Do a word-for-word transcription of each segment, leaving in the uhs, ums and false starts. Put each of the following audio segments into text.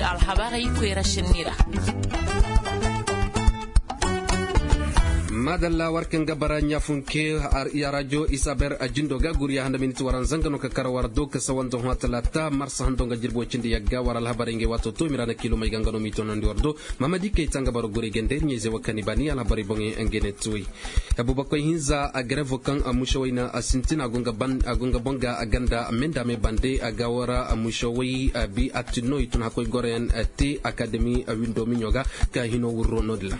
Alhabarey koyra senni ra. Maadalla war kaŋ ga bara ɲaafunke. Ya rajo isaber a jindo ga guri ya handa miniti waran zanga no ka kara war do ka sawanza hõ talaata marsa hando nga jirbi way cindi yagga war alhabarey ngey waato to mira na kiilomey ga nga no m'i tonandi war do. Mamadi kay ta nga bara guri gande ɲayze wa kani baani alhabarey boŋey ngey ne tuwey. Abubakoy hinza a garevo kaŋ a musawey na a sintin a go nga boŋ ga a ganda menda me bande a ga wara a musawey a bi a tinno i tun hakoy goroyaŋ te akademi a windo miɲo ga ka hino wurro no- din ra.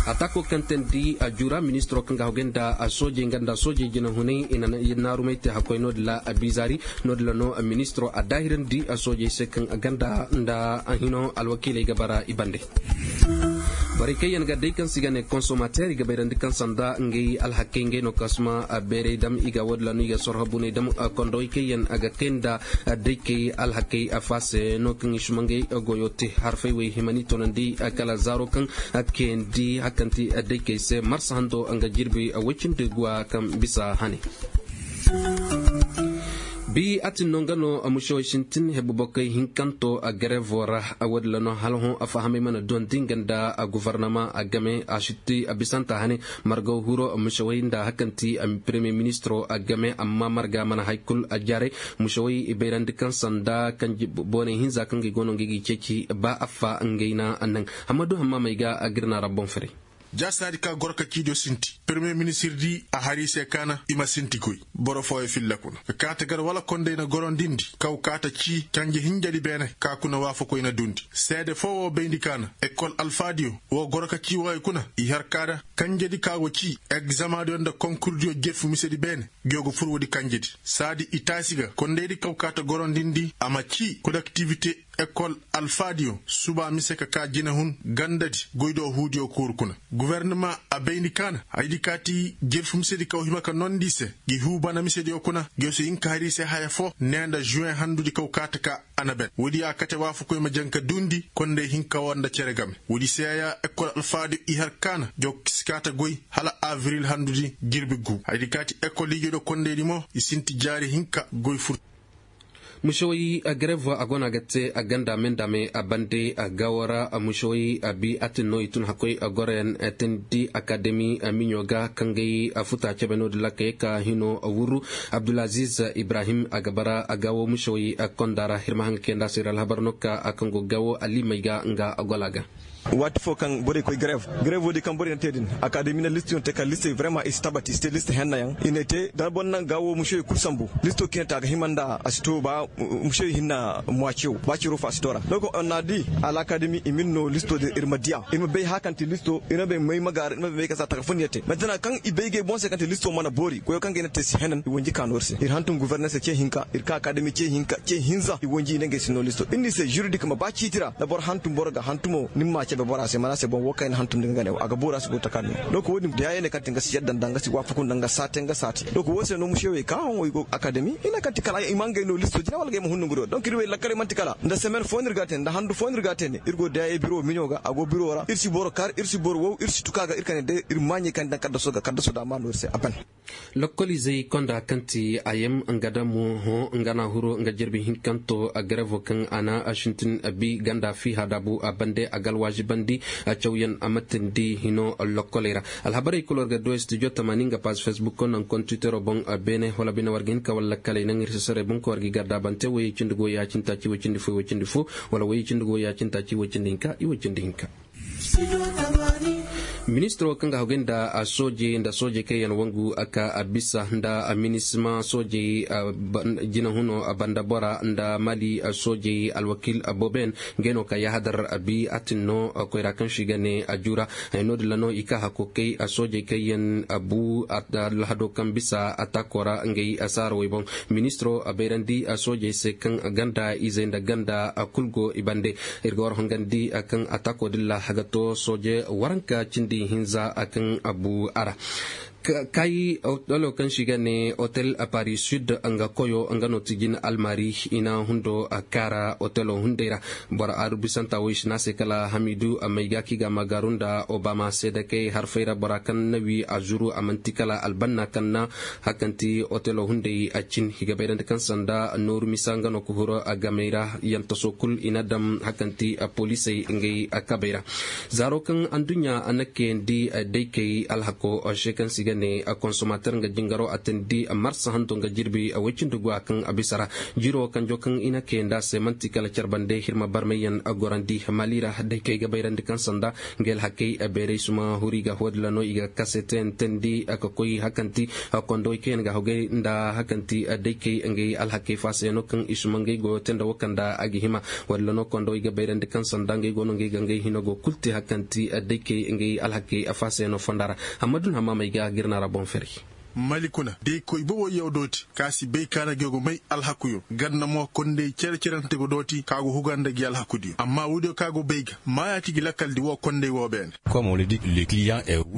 Atako kaŋ teendi a jura ministiro kaŋ ga hagu nda a soojey nga nda a soojey jinahunay i na naarumay te hakoy no- din ra a bizaari no- din ra no ministiro a daahirandi a soojey se kaŋ a ganda nda a hino alwakiiley ga bara i bande. Borey kaŋ yaŋ ga day kaŋ se i ga ne konsomateer i ga bayrandi kaŋ sanda ngey alhakey ngey no kaŋ suma beeray dam i ga woodin ra no i ga sorho buney dam. Kondowey kaŋ yaŋ a ga kay nda daykey alhakey a faase no kaŋ i suma ngey goyo te harfey wey himani tonandi kala zaaro kaŋ kayandi hakanti daykey se marsa hando nga jirbi woy cindi guwa kaŋ bisa hane. Bi atin no nga no musewey sintin hebu bokoy hinkanto a garevo ra. Woodin ra no hala hõ a fahamay mana duwandi nga nda a gofornama a game a sitti a bisanta hane. Margaw huro musewey nda hakanti a premier ministro a game amma marga mana hay kul a jaaray. Musewey i bayrandi kaŋ sanda kanji boonay hinza kaŋ ga i go no nga i ga i ceeci ba affa ngey na a naŋ. Hammadu hammaamey ga a ga ir na ra boŋ firay. Jaasaadi ka goro ka ciidiyo sinti premier ministir di a har i se kaana i ma sinti goy. Boro fooyo filla kuna ka kaata gar wala konday na gorondindi kaw kaata cii canje hinjadi beene ka kuna waafakoy na dundi seede foo woo bayndi kaana ekol alfaadiyo woo goro ka cii wooyo kuna i har kaada kanjedi ka go cii egzamaadiyo nda konkurdiyo jerfu misedi beene. Ngiyo go fur woodi kanjedi saadi i taasi ga kondaydi kaw kaata gorondindi a ma cii kolektivite ekol alfaadiyo suba mise ka kaa jinahun gandadi goydo huudiyo kuuru kuna. Gofornama a bayndi kaana haydi kaati jerfu misedi kaw hima ka nondi i se ngi huu bana misediyo kuna ngiyo si hin ka har i se haya foo nee nda žuweŋ handudi kaw kaata ka a na ben woodi a kate waafakoy ma jaŋ ka duundi konday hinka woo nda cere game. Woodi seeya ekol alfaadiyo i har kaana ngiyo si kaata goy hala abril handudi jirbi guu haydi kaati ekol ijodo kondaydi mo i sinti jaari hinka goy fur. Musewey garev a go no a ga te a ganda me nda me a bande a gawo ra. Musewey a bi a tin no i tun hakkoy goroyaŋ teendi akademi miɲo ga kaŋ gay futa cebe no- din ra ka ye ka hino wurru. Abdulaziz ibrahim a ga bara a gawo musewey konda ra hirma haŋ ga kay nda a se ir alhabar no ka a kaŋ go gawo alimey ga nga a gola ga. Waati foo kaŋ borey koy garev garevo di kaŋ borey na te din akademi na listiyoŋ te ka listey vrema i si tabati i si te liste hennayaŋ i ne te da boro naŋ gaawo musey kul sambu listo kaŋ i ne te a ga hima nda a si to ba musey hinna muwacew ba ciro fo a si to ra no ko na di alakademi i ma ir no listo din ir ma diya ir ma bay haya kaŋ ti listo ir ma bay may ma gaara ir ma bay may kaŋ si a taka fo ni ya te mantana kaŋ i bay gay boŋ se kaŋ ti listo mana boori koyo kaŋ ga i ne te si henan i wanji ka no ir se ir hantum guverner se ce hinka ir ka akademi ce hinka ce hinza i wanji i ne ngey si no listo ir ni se juridik ma ba ciiti ra da boro hantum boro ga hantumo ni ma ma cebe bora se mana se boŋ wo kaŋ i na hantum din ga ne wo a ga boori a si go takarni. Donc wo- din da ya ye ne kaŋ ti nga si yadda nda nga si waafaku nda nga saate nga saate donc wo se no musewey ka haŋo i go akademi i ne kaŋ ti kala i ma ngey no listo jina wala ga i ma hun nongu do donc ir wey lakkaley manti kala nda semaine foo no ir ga a te nda handu foo no ir ga a te ne ir go da ya ye biro miɲo ga a go biro ra ir si boro kar ir si boro wow ir si tuka ga ir kane day ir maaɲey kaŋ daŋ kaddaso ga kaddaso da a ma no ir se a ban. Lokkolizey konda kaŋ ti a yem nga damo hõ nga na huru nga jirbi hinkanto a garevo kaŋ a na a sintin a bi ganda fiiha daabu a bande a ga alwaazibandi a cawyaŋ a ma tindi hino lokkoley ra. Alhabarey kul war ga du studio tamaani nga paaz fesbuk naŋ kontitero boŋ beene wala bine war ga hin ka wala lakkaley naŋ ir si saray boŋ ka war ga i gardaabante woyey cindi go ya-cindi taaci woy cindi fo woy cindi fo wala woyey cindi go ya-cindi taaci woy cindi hinka i woy cindi hinka. Ministiro kaŋ ga hagu nda soojey nda soojey kaŋ yaŋ wangu a ka a bisa nda minisima soojey jinahuno banda bora nda mali soojey alwakiil booboyaŋ ngey no ka yahadar a bi a tin no koyra kaŋ se i ga ne a jura. Haya no- din ra no i ka hakkookay soojey kaŋ yaŋ a bu alhado kaŋ bisa a taako ra ngey saarawey boŋ. Ministiro a bayrandi soojey se kaŋ ganda izey nda ganda kul go i bande. Ir ga war hongandi kaŋ atako din ra a ga to sooje waranka cindi hinza kaŋ a bu a ra. Kaayi otelo kaŋ se i ga ne otel paris sud nga koyo nga no ti jin almari i na hundo kaara otelo hunday ra. Boro aru bisanta wo i si ne a se kala hamidu mayga kaŋ i ga a ma gaaru nda obama seedakey harfey ra bora kaŋ na wi a zuru a man'ti kala albanna kaŋ na hakanti otelo hunday a cin i ga bayrandi kaŋ sanda nooru misa nga no ka huru gamey ra. Yantaso kul i na daŋ hakanti poliisey ngey kabey ra. Zaaro kaŋ adduɲɲa a na kayandi daykey alhako se kaŋ se i ga ne konsomater nga jingaro a teendi marsa hanto nga jirbi woy cindi guwa kaŋ a bisa ra. Jiiro kanjo kaŋ i na kayandi a se man'ti kala care bande hirma barmayyaŋ gorandi mali ra daykey ga bayrandi kaŋ sanda ngey alhakey bayray suma huri ga wo- din ra no i ga kase teendi ka koy hakanti kondowey kaŋ yaŋ ga hogay nda hakanti daykey ngey alhakey faasayano kaŋ i suma ngey goyo te nda wo kaŋ nda a ga hima. Walla no kondowey ga bayrandi kaŋ sanda ngey go no ngey ga ngey hino go kul te hakanti daykey ngey alhakey faasayano fonda ra. Amma dun hamma may ga girna ra boŋ fere. Mali kuna day koy bobo yaw dooti ka si bay ka na go ga may alhakuyo ganda mo kondey cere-cerante go dooti ka go huga nda gi alhakudiyo amma woodiyo ka go bay ga maayaati gi lakkal di wo kondey wo beene.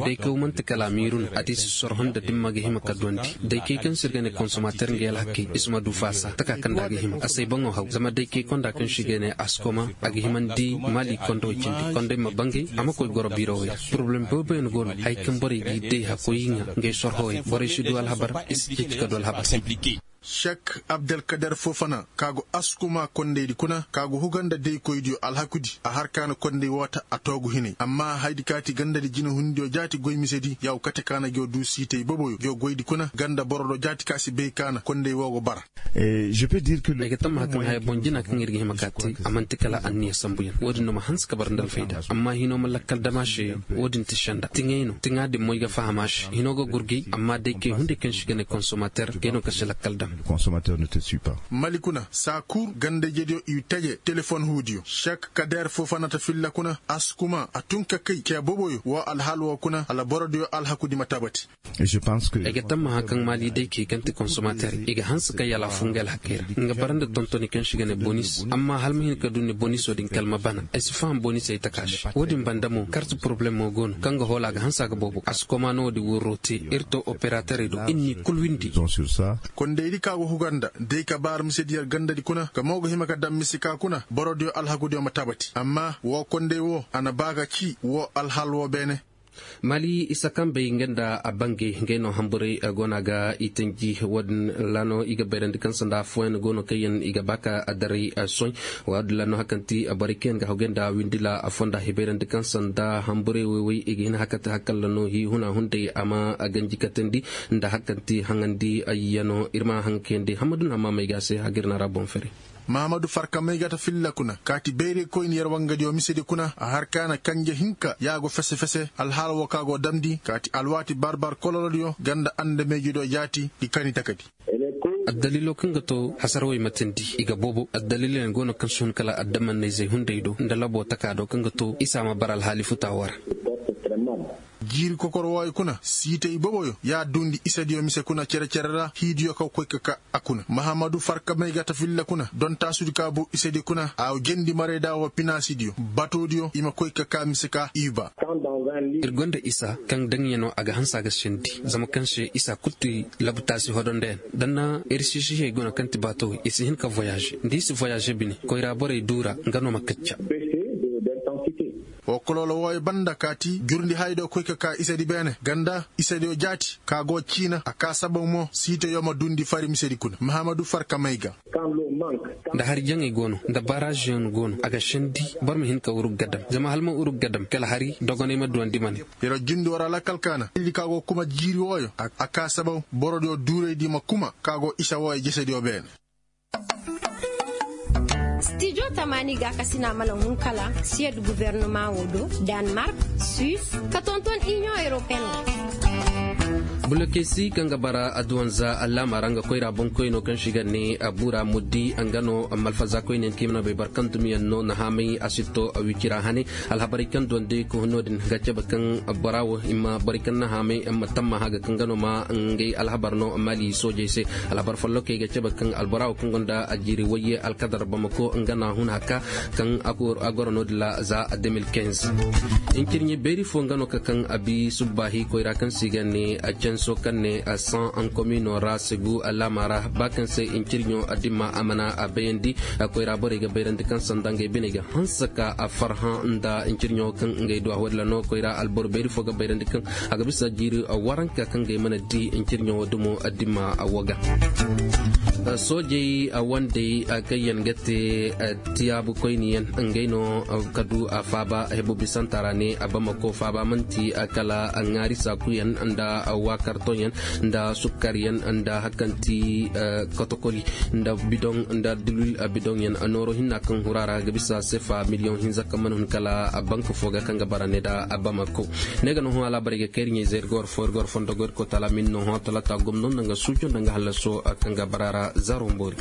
Day kaw man'ti kala a miiru no a te i si sorhon nda dimma ga hima ka duwandi. Day kay kaŋ se ir ga ne konsomater ngey alhakey i si ma du faasa taka kaŋ nda a ga hima a si ay baŋo haw zama day kay konda kaŋ se i ga ne askoma a ga himandi maali kondowey cindi kondey ma bangay a ma koy goro biirowey ra. Poroblem booboyaŋ go no haya kaŋ borey g'i day hakoy i ŋa ngey sorhowey borey si du alhabar i si ceeci ka du alhabar. Sek abdelkader fofana ka go askuma kondaydi kuna ka go huga nda daykoydiyo alhakudi a har ka na konday woo ta a toogu hinay amma hayadi kaati gandadi jinahundiyo jaati goy misedi yaw kate ka na go du siitay boboyo go goydi kuna ganda boro do jaati ka si bay ka na konday woo go bara. Ay ga tammaha kaŋ haya boŋ jina kaŋ ir ga hima ka te a man'ti kala anniya sambuyaŋ woodin no ma hanse ka bara nda alfayda amma hino ma lakkal dam a se. Woodin ti senda tiŋay no tiŋa din mo ay ga faham a se hino ga gurgay amma day kay hunday kaŋ se i ga ne konsomater gay no kaŋ si lakkal dam. Mali kuna saa kul ganda-ijediyo i taje telefon huudiyo sek kader foofanata filla kuna askuma a tun ka kay cee boboyo woo alhaal woo kuna hala borodiyo alhakudi ma tabati. Ay ga tammaha kaŋ maali day kay kaŋ ti konsomater i ga hanse ka yalaafu nga alhakey ra nga bara nda tontoni kaŋ se i ga ne bonis amma hala ma hin ka du ni boniso din kala ma bana ay si faham bonisey taka se. Woodin banda mo karti poroblemo go no kaŋ ga hoola a ga hanse a ga boobo a si komaano woodin wurro te ir to operaterey do ir n'i kul windi. Kondaydi ka go huga nda day ka baara misedi yer gandadi kuna ka mo ga hima ka daŋ mise ka kuna borodiyo alhakudiyo ma tabati amma woo konday woo a na ba ga ci woo alhaal woo beene. Maali isa kambey nga nda a bangey ngey no hamburay go no a ga i tanji woodin ra no i ga bayrandi kaŋ sanda afooyaŋ go no kaŋ yaŋ i ga ba ka daray soy. Woodin ra no hari kaŋ ti borey kaŋ yaŋ ga hogay nda windila afoo nda i bayrandi kaŋ sanda hamburay woy-woy i ga hin hari kaŋ ti hari kaŋ ra no hii huna hunday a ma ganji katandi nda hari kaŋ ti haŋandi yaŋo ir ma haŋ kayandi hammadu na hammaamey ga a se hagir na ra boŋ fere. Mahamadu farka maygata filla kuna kaati bayraykoyni yer wangadiyo misedi kuna a har ka na kanje hinka ya go fese-fese alhaala woo ka go damndi kaati alwaati bar-bar kololodiyo ganda andameejidiyo jaati gi kani takadi. Addaliiloo kaŋ ga too hasarawey ma teendi i ga boobo addaliilooyaŋ go no kaŋ si hun kala addamanna-izey hunday do nda laboo takaa do kaŋ ga too isa ma bara alhaali futaa woo ra. Jiiri kokor wooyo kuna siitay boboyo ya duundi isediyo mise kuna cere-cere ra hiidiyo ka koy ka ka a kuna mahamadu farka maygata filla kuna dontaasudi ka buu isedi kuna a jendi marayda woo pinaasidiyo batoodiyo i ma koy ka ka mise ka iiba. Ir gonda isa kaŋ daŋyanoo a ga hanse a ga sendi zama kaŋ se isa kul ti labtaasi hodondoyaŋ da na ir siisihey go no kaŋ ti baatowey i si hin ka voyaaze nda i si voyaaze bine koyra borey duu ra nga no ma kacca. Woo koloolo wooyo banda kaati jurndi haydo koy ka ka isedi beene ganda isediyo jaati ka go ciina a ka sababu mo siitoyo ma duundi fari misedi kuna mahamadu farka may ga. Nda hari jaŋey go no nda baaraaziyaŋ go no a ga sendi boro ma hin ka wurug ga dam zama hala ma wurug ga dam kala hari dogoney ma duwandi ma ne. Yer jundi wara lakkal kaana illi ka go kuma jiiri wooyo a ka sababu borodiyo duuraydi ma kuma ka go isa wooyo jesediyo beene. Stijo tamaani gaakasina mana hun kala siyed guverneman wo do, danmark, suis, ka tonton inion europeen wo. Bulokesi kaŋ ga bara adduwanza allaama ra nga koyra boŋkoyno kaŋ si ga ne bura muddi nga no malfaza koyne yaŋ kaŋ i mana bay barkandumiyaŋ no na haamay a si to wicira hane. Alhabarey kaŋ duwandi ka hun no-din ga cabe kaŋ bora wo i ma borey kaŋ na haamay ma tamma haga kaŋ nga no ma ngey alhabar no mali soojey se. Alhabar follokey ga cabe kaŋ albora wo kaŋ gonda a jiiri wayye alkadar bamako nga na hun haka kaŋ a goro no-din ra za deux mille quinze. Hincirɲe beeri fo nga no ka kaŋ a bi subbaahi koyra kaŋ se i ga ne canso kaŋ ne san an komino ra segu alaama ra ba kaŋ se hincirɲo dimma a mana a bayandi. Koyra borey ga bayrandi kaŋ sanda ngey biney ga hanse ka a farhã nda hincirɲo kaŋ ngey du a wadila no koyra alboro beeri fo ga bayrandi kaŋ a ga bisa jiiri waranka kaŋ ngey mana di hincirɲo dumo dimma a wo ga. Soojey wandey kaŋ yaŋ ga te tiyaabu koyniyaŋ ngey no ka du a faaba hebo bisanta ra ne a bamako faaba manti kala ŋaari saakuyaŋ nda waakartoŋyaŋ nda sukkaryaŋ nda hakanti kotokoli nda bidoŋ nda dilwil bidoŋyaŋ nooro hinna kaŋ hura ra ga bisa sefa miliyoŋ hinza kaŋ mana hun kala bank fo ga kaŋ ga bara ne nda bamako. Ne ga no hõ alaabarey ga kayri ɲey zay ir ga war fo ir ga war fondo go ir koy taala min no hõ talata gomno nda nga suujo nda nga hallaso kaŋ ga bara ra zaro mboori.